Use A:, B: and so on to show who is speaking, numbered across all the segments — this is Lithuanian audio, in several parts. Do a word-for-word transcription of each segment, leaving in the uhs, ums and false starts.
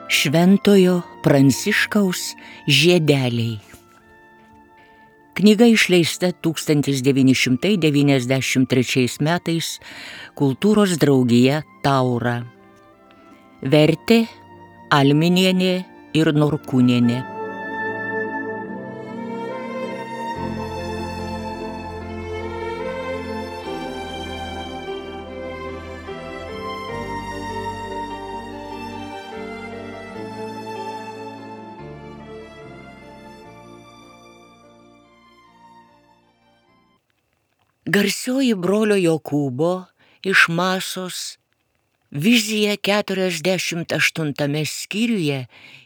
A: Šventojo Pranciškaus žiedeliai. Knyga išleista tūkstantis devyni šimtai devyniasdešimt trečiais metais Kultūros draugija Taura. Vertė Alminienė ir Norkūnienė. Garsioji brolio Jokūbo iš Masos vizija keturiasdešimt aštuntame skyriuje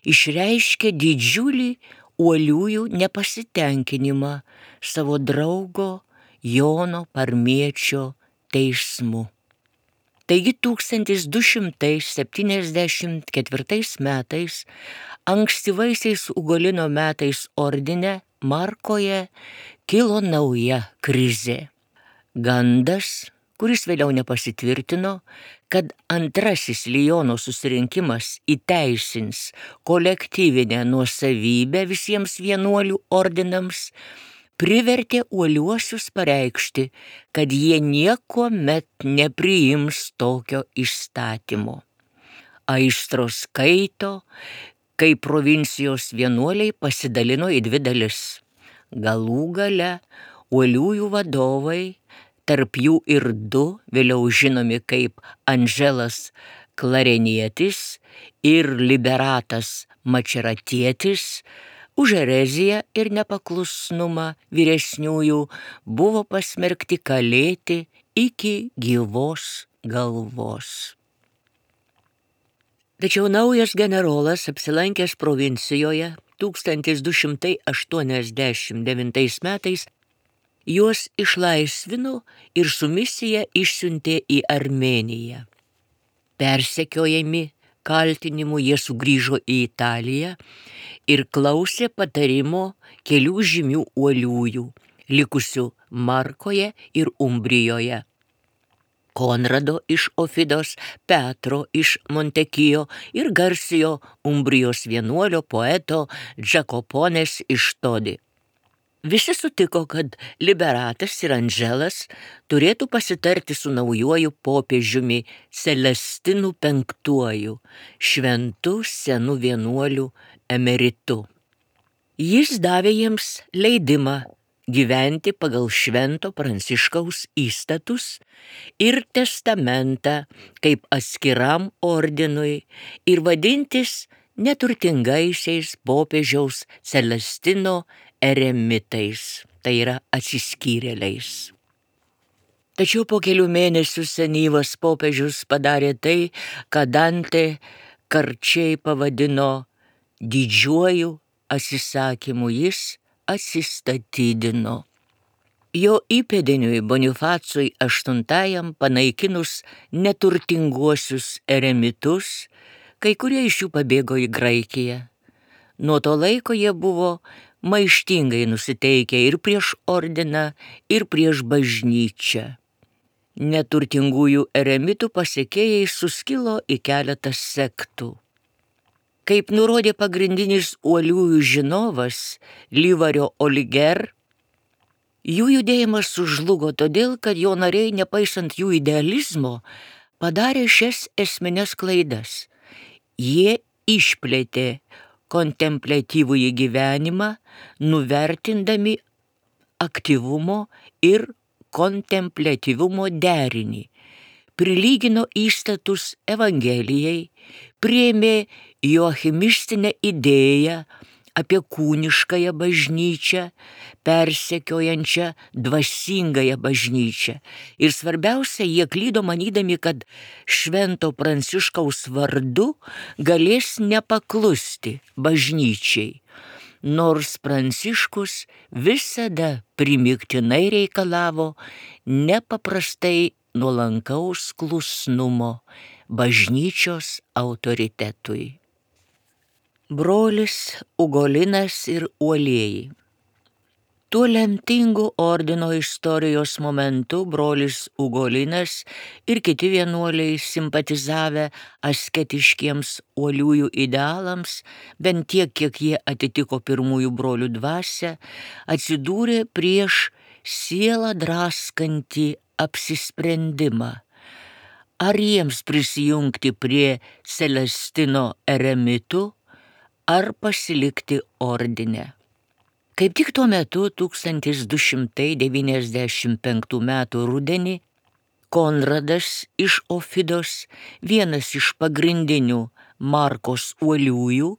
A: išreiškia didžiulį uoliųjų nepasitenkinimą savo draugo Jono Parmiečio teismu. Taigi tūkstantis du šimtai septyniasdešimt ketvirtais metais, ankstyvaisiais Ugolino metais ordine Markoje kilo nauja krizė. Gandas, kuris vėliau nepasitvirtino, kad antrasis Liono susirinkimas įteisins kolektyvinę nuosavybę visiems vienuolių ordinams, privertė uoliuosius pareikšti, kad jie niekuomet nepriims tokio įstatymo. Aistros kaito, kai provincijos vienuoliai pasidalino į dvi dalis. Galų gale uoliųjų vadovai, tarp jų ir du, vėliau žinomi kaip Andželas Klarenietis ir Liberatas Mačeratietis, už ereziją ir nepaklusnumą vyresniųjų buvo pasmerkti kalėti iki gyvos galvos. Tačiau naujas generolas, apsilankęs provincijoje tūkstantis du šimtai aštuoniasdešimt devintais metais, juos išlaisvino ir su misija išsiuntė į Armėniją. Persekiojami kaltinimų jie sugrįžo į Italiją ir klausė patarimo kelių žymių uoliųjų, likusių Markoje ir Umbrijoje. Konrado iš Ofidos, Petro iš Montekijo ir garsiojo Umbrijos vienuolio poeto Džakoponės iš Todi. Visi sutiko, kad Liberatas ir Andželas turėtų pasitarti su naujuoju popiežiumi Celestinu penktuoju, šventu senu vienuoliu emeritu. Jis davė jiems leidimą gyventi pagal Švento Pranciškaus įstatus ir testamentą kaip atskiram ordinui ir vadintis neturtingaisiais popiežiaus Celestino eremitais, tai yra atsiskyrėliais. Tačiau po kelių mėnesių senyvas popiežius padarė tai, ką Dantė karčiai pavadino didžiuoju atsisakymu, jis atsistatydino. Jo įpėdiniui Bonifacui aštuntajam panaikinus neturtinguosius eremitus, kai kurie iš jų pabėgo į Graikiją. Nuo to laiko jie buvo maištingai nusiteikę ir prieš ordiną, ir prieš bažnyčią. Neturtingųjų eremitų pasekėjai suskilo į keletą sektų. Kaip nurodė pagrindinis uoliųjų žinovas Livario Oliger, jų judėjimas sužlugo todėl, kad jo nariai, nepaisant jų idealizmo, padarė šias esmines klaidas. Jie išplėtė kontempliatyvųjį gyvenimą, nuvertindami aktyvumo ir kontempliatyvumo derinį, prilygino įstatus Evangelijai, priėmė joachimistinę idėją apie kūniškąją bažnyčią, persekiojančią dvasingąją bažnyčią. Ir svarbiausia, jie klydo manydami, kad Švento Pranciškaus vardu galės nepaklusti bažnyčiai, nors Pranciškus visada primygtinai reikalavo nepaprastai nuolankaus klusnumo bažnyčios autoritetui. Brolis Ugolinas ir uolieji. Tuo lemtingu ordino istorijos momentu brolis Ugolinas ir kiti vienuoliai simpatizavę asketiškiems uoliųjų idealams, bent tiek, kiek jie atitiko pirmųjų brolių dvasią, atsidūrė prieš sielą draskantį apsisprendimą. Ar jiems prisijungti prie Celestino eremitų, ar pasilikti ordine. Kaip tik tuo metu tūkstantis du šimtai devyniasdešimt penktų metų rudenį Konradas iš Ofidos, vienas iš pagrindinių Markos uoliųjų,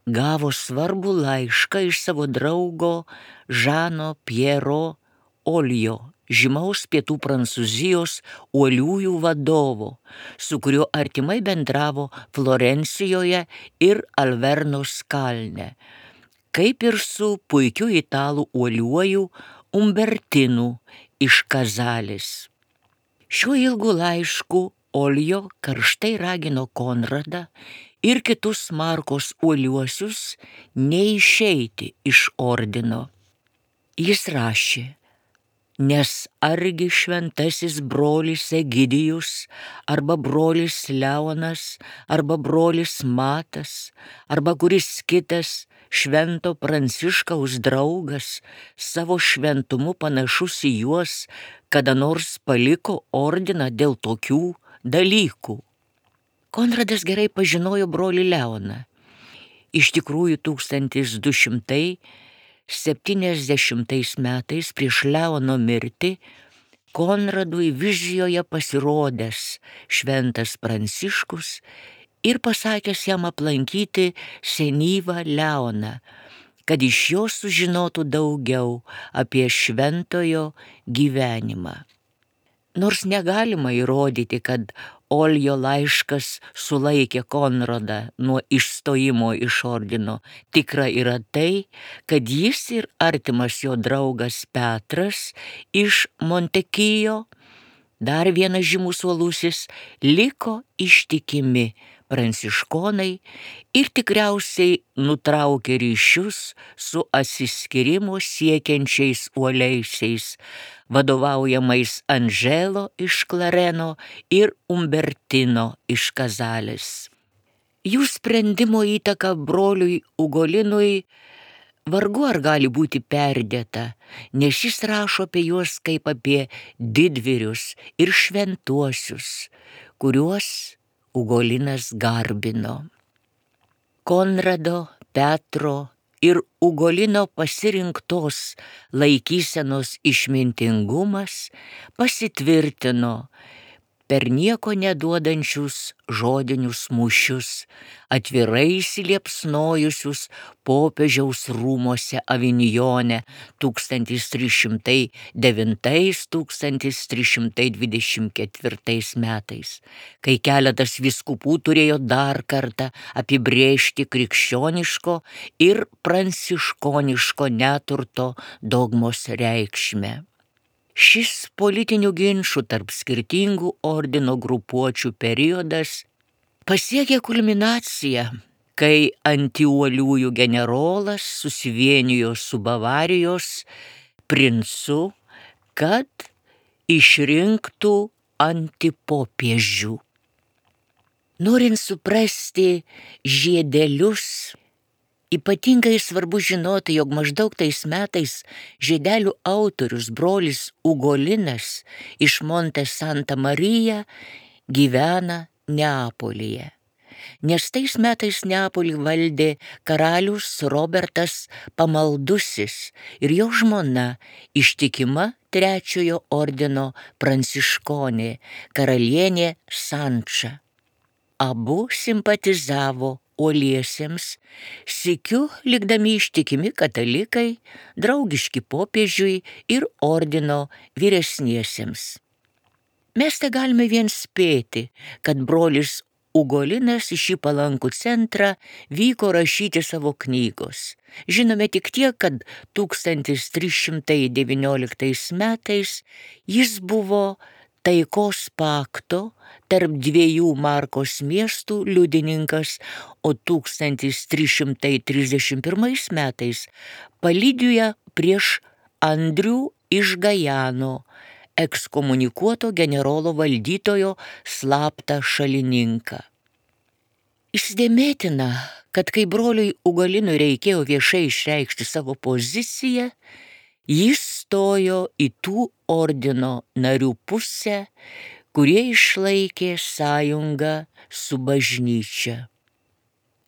A: gavo svarbų laišką iš savo draugo Žano Piero Olio, žymaus pietų Prancūzijos uoliųjų vadovo, su kuriuo artimai bendravo Florencijoje ir Alvernos kalne, kaip ir su puikiu italų uoliuoju Umbertinu iš Kazalės. Šiuo ilgu laišku Olio karštai ragino Konradą ir kitus Markos uoliuosius neišeiti iš ordino. Jis rašė: nes argi šventasis brolis Egidijus, arba brolis Leonas, arba brolis Matas, arba kuris kitas švento Pranciškaus draugas, savo šventumu panašus į juos, kada nors paliko ordiną dėl tokių dalykų. Konradas gerai pažinojo brolį Leoną. Iš tikrųjų, tūkstantis du šimtai septyniasdešimtais metais prieš Leono mirtį Konradui vizijoje pasirodęs šventas Pranciškus ir pasakęs jam aplankyti senyvą Leoną, kad iš jo sužinotų daugiau apie šventojo gyvenimą. Nors negalima įrodyti, kad Olio laiškas sulaikė Konradą nuo išstojimo iš ordino, tikra yra tai, kad jis ir artimas jo draugas Petras iš Montekijo, dar vienas žymus uolusis, liko ištikimi pranciškonai ir tikriausiai nutraukė ryšius su atsiskyrimo siekiančiais uoliaisiais, vadovaujamais Anželo iš Klareno ir Umbertino iš Kazalės. Jų sprendimo įtaka broliui Ugolinui vargu ar gali būti perdėta, nes jis rašo apie juos kaip apie didvyrius ir šventuosius, kuriuos Ugolinas garbino. Konrado, Petro ir Ugolino pasirinktos laikysenos išmintingumas pasitvirtino per nieko neduodančius žodinius mūšius, atvirai įsiliepsnojusius popiežiaus rūmuose Avinjone tūkstantis trys šimtai devintais - tūkstantis trys šimtai dvidešimt ketvirtais metais, kai keletas vyskupų turėjo dar kartą apibrėžti krikščioniško ir pranciškoniško neturto dogmos reikšmę. Šis politinių ginčų tarp skirtingų ordino grupuočių periodas pasiekė kulminaciją, kai antiuoliųjų generolas susivienijo su Bavarijos princu, kad išrinktų antipopiežių. Norint suprasti žiedelius, ypatingai svarbu žinoti, jog maždaug tais metais žiedelių autorius brolis Ugolinas iš Monte Santa Marija gyvena Neapolyje. Nes tais metais Neapolį valdė karalius Robertas Pamaldusis ir jo žmona ištikima trečiojo ordino pranciškonė karalienė Sanča. Abu simpatizavo uoliesiems, sykiu likdami ištikimi katalikai, draugiški popiežiui ir ordino vyresniesiems. Mes te galime vien spėti, kad brolis Ugolinas į šį palankų centrą vyko rašyti savo knygos. Žinome tik tiek, kad tūkstantis trys šimtai devynioliktais metais jis buvo taikos pakto tarp dviejų Markos miestų liudininkas, o tūkstantis trys šimtai trisdešimt pirmais metais palydijo prieš Andrių iš Gajano, ekskomunikuoto generolo valdytojo slaptą šalininką. Įsidėmėtina, kad kai broliui Ugolinui reikėjo viešai išreikšti savo poziciją, jis stojo į tų ordino narių pusę, kurie išlaikė sąjungą su bažnyčia.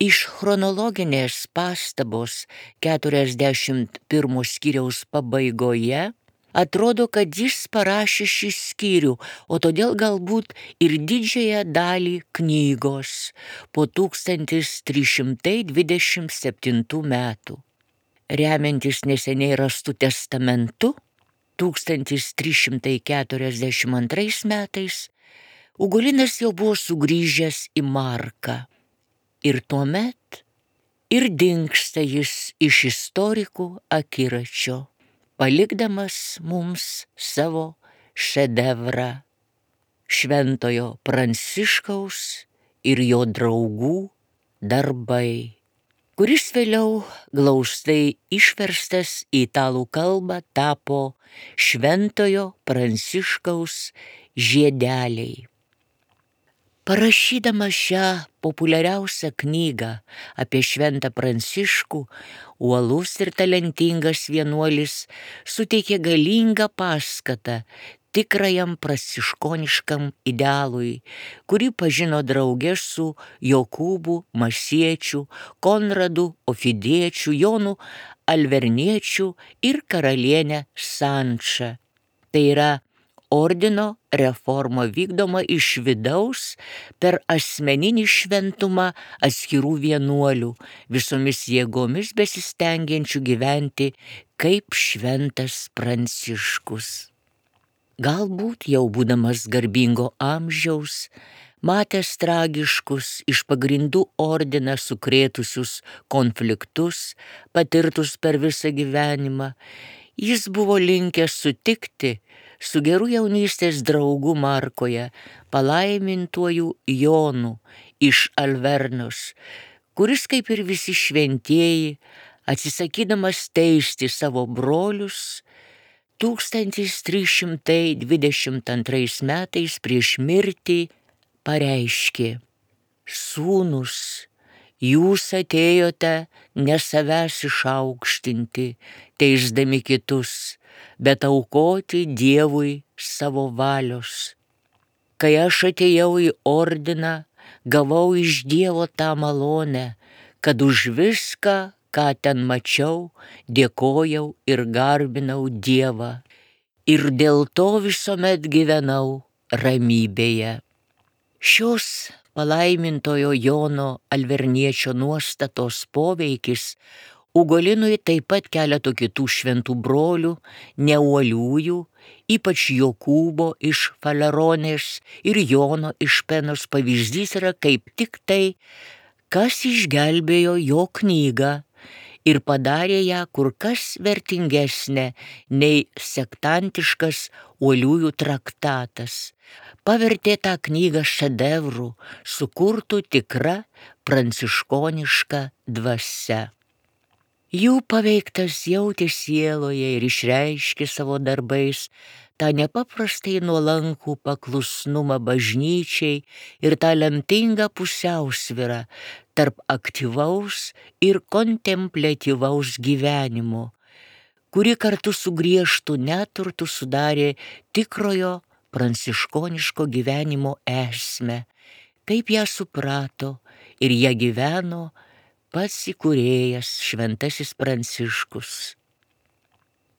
A: Iš chronologinės pastabos keturiasdešimt pirmo skyriaus pabaigoje atrodo, kad jis parašė šį skyrių, o todėl galbūt ir didžiąją dalį knygos po tūkstantis trys šimtai dvidešimt septintų metų. Remiantis neseniai rastų testamentu, tūkstantis trys šimtai keturiasdešimt antrais metais, Ugolinas jau buvo sugrįžęs į Marką. Ir tuomet ir dingsta jis iš istorikų akiračio, palikdamas mums savo šedevrą Šventojo Pranciškaus ir jo draugų darbai, kuris vėliau glaustai išverstas į italų kalbą tapo Šventojo Pranciškaus žiedeliai. Parašydamas šią populiariausią knygą apie Šventą Pranciškų, uolus ir talentingas vienuolis suteikė galingą paskatą tikrajam pranciškoniškam idealui, kurį pažino drauge su Jokūbu Masiečiu, Konradu Ofidiečiu, Jonu Alverniečiu ir karalienė Sanča. Tai yra ordino reforma vykdoma iš vidaus per asmeninį šventumą atskirų vienuolių, visomis jėgomis besistengiančių gyventi kaip Šventas Pranciškus. Galbūt jau būdamas garbingo amžiaus, matęs tragiškus iš pagrindų ordiną sukrėtusius konfliktus, patirtus per visą gyvenimą, jis buvo linkęs sutikti su geru jaunystės draugu Markoje, palaimintuoju Jonu iš Alvernos, kuris kaip ir visi šventieji, atsisakydamas teisti savo brolius, tūkstantis trys šimtai dvidešimt antrais metais prieš mirtį pareiškė: Sūnus, jūs atėjote ne savęs išaukštinti, teisdami kitus, bet aukoti Dievui savo valios. Kai aš atėjau į ordiną, gavau iš Dievo tą malonę, kad už viską, ką ten mačiau, dėkojau ir garbinau Dievą. Ir dėl to visuomet gyvenau ramybėje. Šios palaimintojo Jono Alverniečio nuostatos poveikis Ugolinui taip pat keleto kitų šventų brolių, neuoliųjų, ypač Jokūbo iš Faleronės ir Jono iš Penos pavyzdys yra kaip tik tai, kas išgelbėjo jo knygą ir padarė ją kur kas vertingesnė nei sektantiškas uoliųjų traktatas. Pavertė tą knygą šedevru, sukurtų tikra pranciškoniška dvasia. Jų paveiktas jautė sieloje ir išreiškė savo darbais tą nepaprastai nuolankų paklusnumą bažnyčiai ir tą lemtingą pusiausvyrą tarp aktyvaus ir kontempliatyvaus gyvenimo, kuri kartu su griežtu neturtu sudarė tikrojo pranciškoniško gyvenimo esmę, kaip ją suprato ir ją gyveno pats įkūrėjas Šventasis Pranciškus.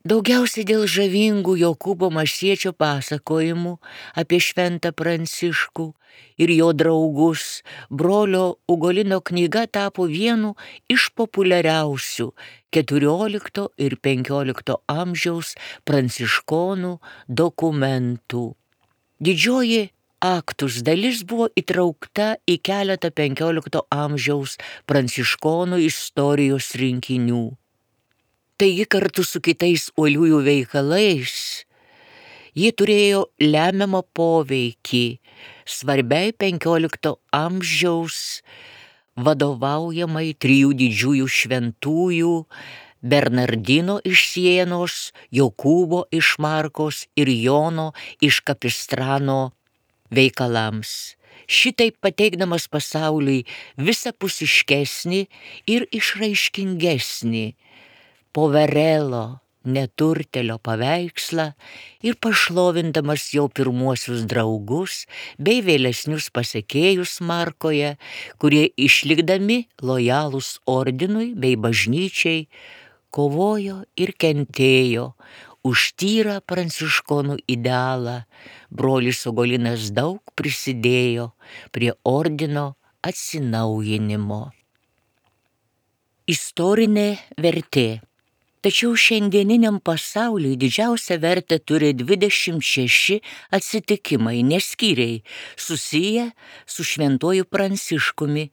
A: Daugiausiai dėl žavingų Jokūbo Masiečio pasakojimų apie Šventą Pranciškų ir jo draugus, brolio Ugolino knyga tapo vienu iš populiariausių keturiolikto ir penkiolikto amžiaus pranciškonų dokumentų. Didžioji aktus dalis buvo įtraukta į keletą penkiolikto amžiaus pranciškonų istorijos rinkinių. Taigi kartu su kitais uoliųjų veikalais ji turėjo lemiamą poveikį svarbiai penkiolikto amžiaus vadovaujamai trijų didžiųjų šventųjų Bernardino iš Sienos, Jokūbo iš Markos ir Jono iš Kapistrano veikalams. Šitaip pateikdamas pasauliui visapusiškesnį ir išraiškingesnį Poverelo neturtelio paveikslą ir pašlovindamas jo pirmuosius draugus bei vėlesnius pasekėjus Markoje, kurie išlikdami lojalūs ordinui bei bažnyčiai, kovojo ir kentėjo už tyrą pranciškonų idealą. Brolis Ugolinas daug prisidėjo prie ordino atsinaujinimo. Istorinė vertė. Tačiau šiandieniniam pasauliui didžiausią vertę turi dvidešimt šeši atsitikimai, neskyriai, susiję su šventuoju Pranciškumi,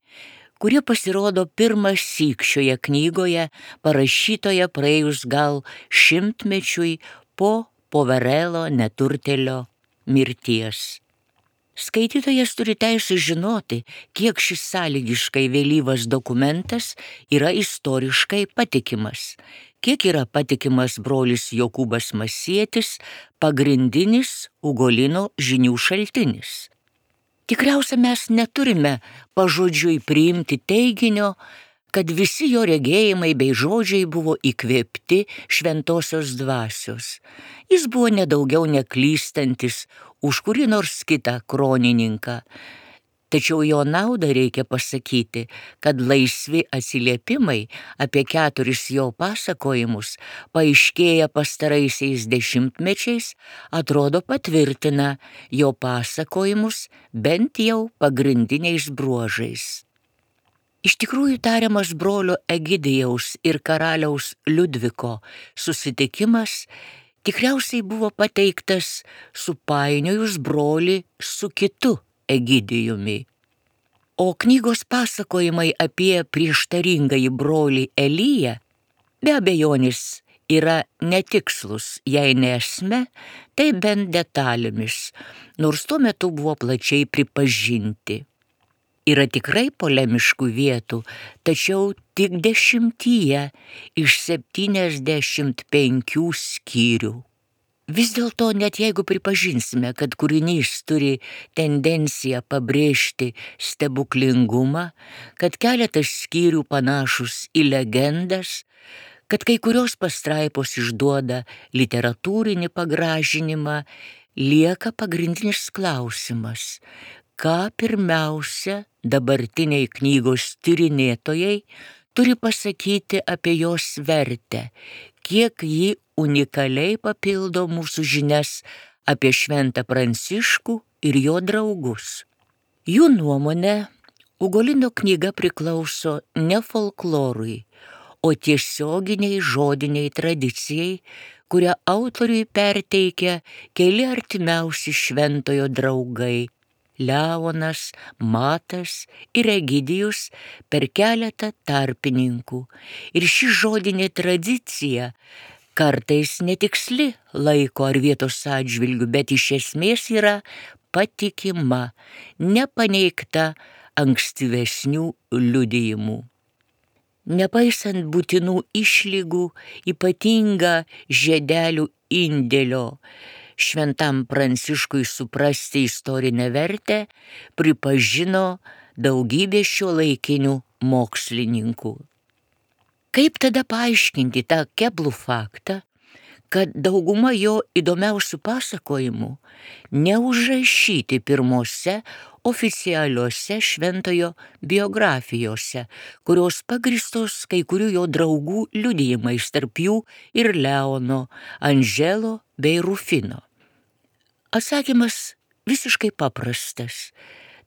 A: kurie pasirodo pirmas syk šioje knygoje, parašytoje praėjus gal šimtmečiui po Poverelo neturtelio mirties. Skaitytojas turi teisę žinoti, kiek šis sąlygiškai vėlyvas dokumentas yra istoriškai patikimas, kiek yra patikimas brolis Jokūbas Masietis, pagrindinis Ugolino žinių šaltinis. Tikriausia, mes neturime pažodžiui priimti teiginio, kad visi jo regėjimai bei žodžiai buvo įkvėpti šventosios dvasios. Jis buvo nedaugiau neklystantis už kurį nors kitą kronininką. Tačiau jo naudą reikia pasakyti, kad laisvi atsiliepimai apie keturis jo pasakojimus, paaiškėję pastaraisiais dešimtmečiais, atrodo patvirtina jo pasakojimus bent jau pagrindiniais bruožais. Iš tikrųjų tariamas brolio Egidijaus ir karaliaus Liudviko susitikimas tikriausiai buvo pateiktas supainiojus brolį su kitu Egidijumi. O knygos pasakojimai apie prieštaringąjį brolį Eliją be abejonės yra netikslus, jei ne esme, tai bent detalėmis, nors tuo metu buvo plačiai pripažinti. Yra tikrai polemiškų vietų, tačiau tik dešimtyje iš septyniasdešimt penkių skyrių. Vis dėlto, net jeigu pripažinsime, kad kūrinys turi tendenciją pabrėžti stebuklingumą, kad keletas skyrių panašus į legendas, kad kai kurios pastraipos išduoda literatūrinį pagražinimą, lieka pagrindinis klausimas, ką pirmiausia dabartiniai knygos tyrinėtojai turi pasakyti apie jos vertę, kiek ji unikaliai papildo mūsų žinias apie šventą Pranciškų ir jo draugus. Jų nuomone, Ugolino knyga priklauso ne folklorui, o tiesioginiai žodiniai tradicijai, kurią autoriui perteikia keli artimiausi šventojo draugai – Leonas, Matas ir Egidijus per keletą tarpininkų. Ir ši žodinė tradicija kartais netiksli laiko ar vietos atžvilgiu, bet iš esmės yra patikima, nepaneigta ankstyvesnių liudijimų. Nepaisant būtinų išlygų, ypatinga žiedelių indėlio šventam Pranciškui suprasti istorinę vertę pripažino daugybė šiuolaikinių mokslininkų. Kaip tada paaiškinti tą keblų faktą, kad dauguma jo įdomiausių pasakojimų neužrašyti pirmose oficialiuose šventojo biografijose, kurios pagristos kai kurių jo draugų liudijimais, tarp jų ir Leono, Andželo bei Rufino? Atsakymas visiškai paprastas.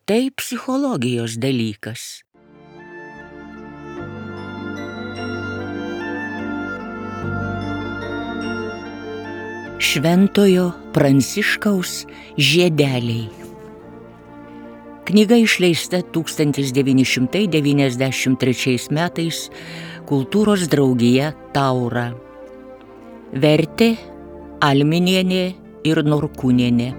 A: Tai psichologijos dalykas. Šventojo Pranciškaus žiedeliai. Knyga išleista tūkstantis devyni šimtai devyniasdešimt trečiais metais Kultūros draugija Taura. Vertė Alminienė ir Norkūnienė.